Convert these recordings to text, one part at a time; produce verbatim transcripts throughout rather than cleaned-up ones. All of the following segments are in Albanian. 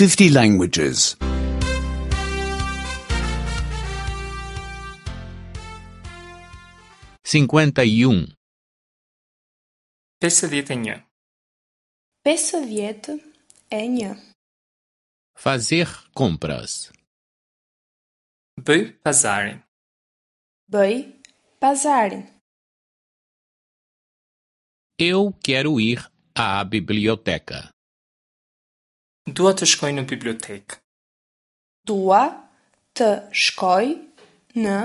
fifty languages. cinquenta e um, pesëdhjetë e një, pesëdhjetë e një, Fazer compras. Bëj pazarin. Bëj pazarin. Eu quero ir à biblioteca. Dua të shkoj në bibliotekë. Dua të shkoj në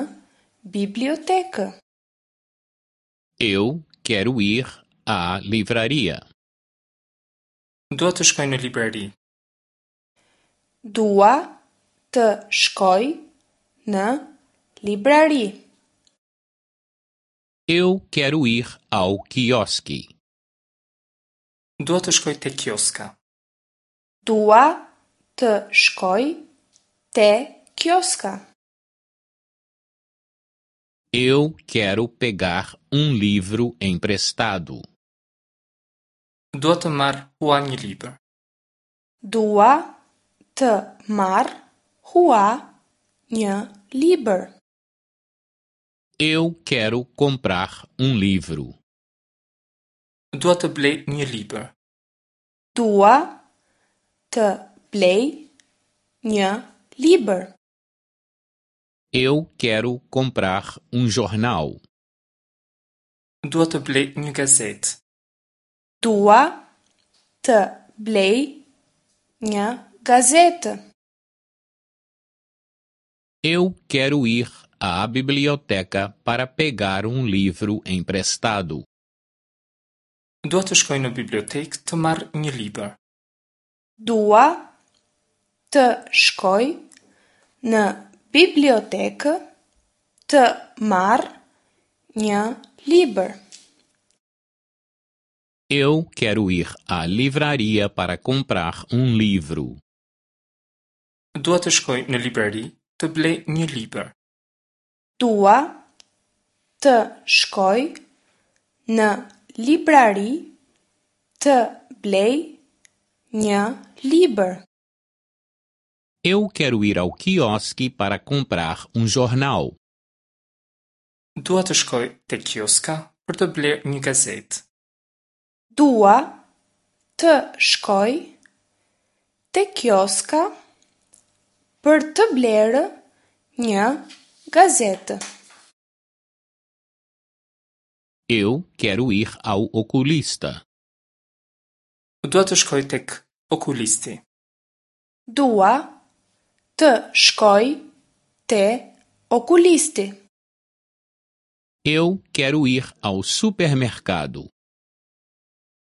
bibliotekë. Eu quero ir à livraria. Dua të shkoj në librari. Dua të shkoj në librari. Eu quero ir ao quiosque. Dua të shkoj te kioska. Dua të shkoj te kioska. Eu quero pegar um livro emprestado. Dua të marr hua një libër. Dua të marr hua një libër. Eu quero comprar um livro. Dua të blej një libër. Dua të blej një libër. Eu quero comprar um jornal. Dua të blej një gazetë. Dua të blej një gazetë. Eu quero ir à biblioteca para pegar um livro emprestado. Dua të shkoj në bibliotekë të marr një libër. Dua të shkoj në bibliotekë të marr një libër. Eu quero ir à livraria para comprar um livro. Dua të shkoj në librari të blej një libër. Dua të shkoj në librari të blej një libër. Eu quero ir ao quiosque para comprar um jornal. Dua të shkoj te kioska për të blerë një gazetë. Dua të shkoj te kioska për të blerë një gazetë. Eu quero ir ao oculista. Dua të shkoj tek okulisti. Dua të shkoj te okulisti. Eu quero ir ao supermercado.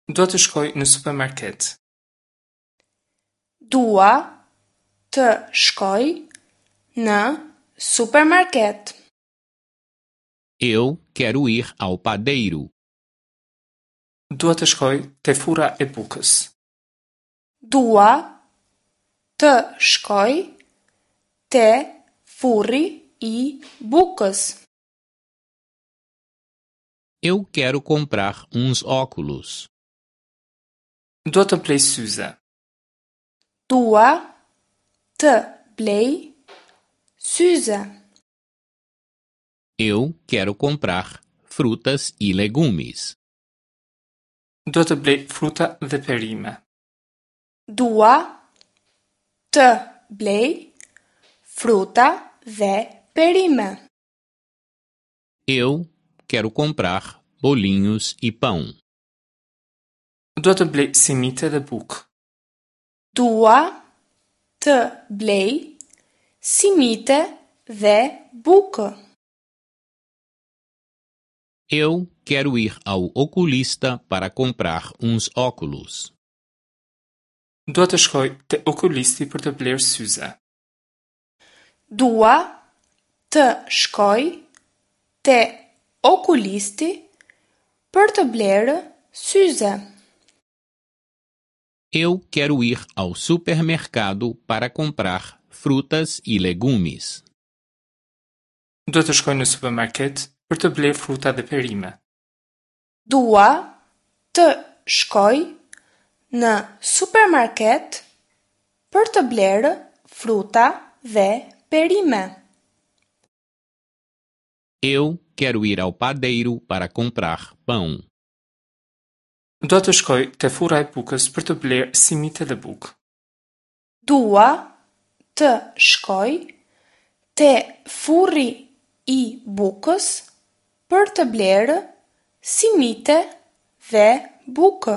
Dua të shkoj në supermarket. Dua të shkoj në supermarket. Eu quero ir ao padeiro. Dua të shkoj te furra e bukës. Dua të shkoj te furri i bukës. Eu quero comprar uns óculos. Dua të blej syze. Dua të blej syze. Eu quero comprar frutas e legumes. Dua të blej fruta dhe perime. Dua të blej fruta dhe perime. Eu quero comprar bolinhos e pão. Dua të blej simite dhe bukë. Dua të blej simite dhe bukë. Eu quero ir ao oculista para comprar uns óculos. Dua të shkoj te okulisti për të blerë syze. Dua të shkoj te okulisti për të blerë syze. Eu quero ir ao supermercado para comprar frutas e legumes. Dua të shkoj në supermarket për të blerë fruta dhe perime. Dua të shkoj në supermarket për të blerë fruta dhe perime. Eu quero ir ao padeiro para comprar pão. Dua të shkoj te furra e bukës për të blerë simite dhe bukë. Dua të shkoj te furri i bukës për të blerë simite dhe bukë.